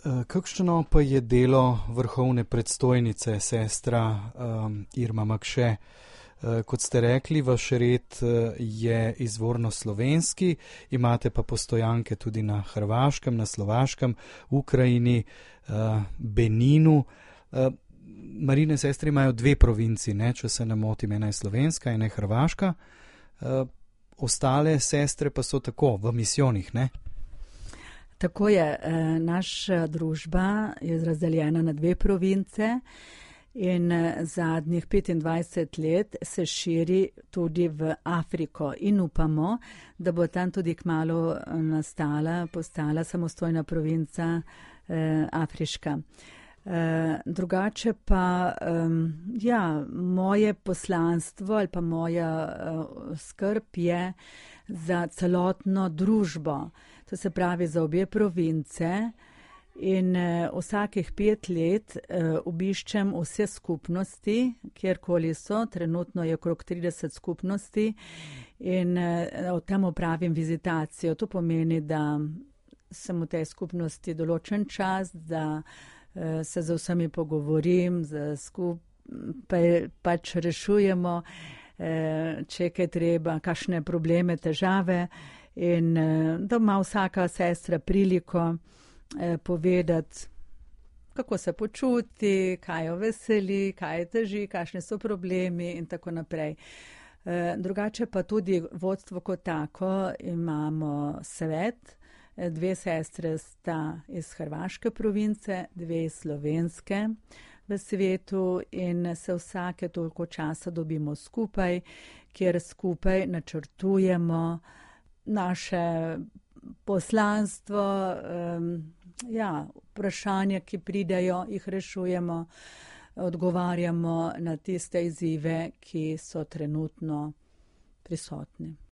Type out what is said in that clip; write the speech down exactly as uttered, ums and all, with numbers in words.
Kakšno pa je delo vrhovne predstojnice, sestra um, Irma Makše? Kot ste rekli, vaš red je izvorno slovenski, imate pa postojanke tudi na Hrvaškem, na Slovaškem, Ukrajini, Beninu. Marijine sestre imajo dve provinci, ne, če se ne motim, ena je slovenska, ena je hrvaška. Ostale sestre pa so tako v misijonih, ne? Tako je, naša družba je razdeljena na dve province. In zadnjih petindvajset let se širi tudi v Afriko in upamo, da bo tam tudi kmalu nastala, postala samostojna provinca eh, afriška. Eh, drugače pa, eh, ja, moje poslanstvo ali pa moja eh, skrb je za celotno družbo, to se pravi za obe province. In uh, vsakih pet let uh, obiščem vse skupnosti, kjerkoli so, trenutno je okrog trideset skupnosti in uh, tam opravim vizitacijo. To pomeni, da sem v tej skupnosti določen čas, da uh, se z vsemi pogovorim, da skupaj pač rešujemo, uh, če je kaj treba, kakšne probleme, težave in uh, da ima vsaka sestra priliko povedati, kako se počuti, kaj jo veseli, kaj je teži, kakšni so problemi in tako naprej. Drugače pa tudi vodstvo kot tako imamo svet. Dve sestre sta iz hrvaške province, dve slovenske v svetu in se vsake toliko časa dobimo skupaj, kjer skupaj načrtujemo naše poslanstvo, um, ja, vprašanja, ki pridejo, jih rešujemo, odgovarjamo na tiste izzive, ki so trenutno prisotni.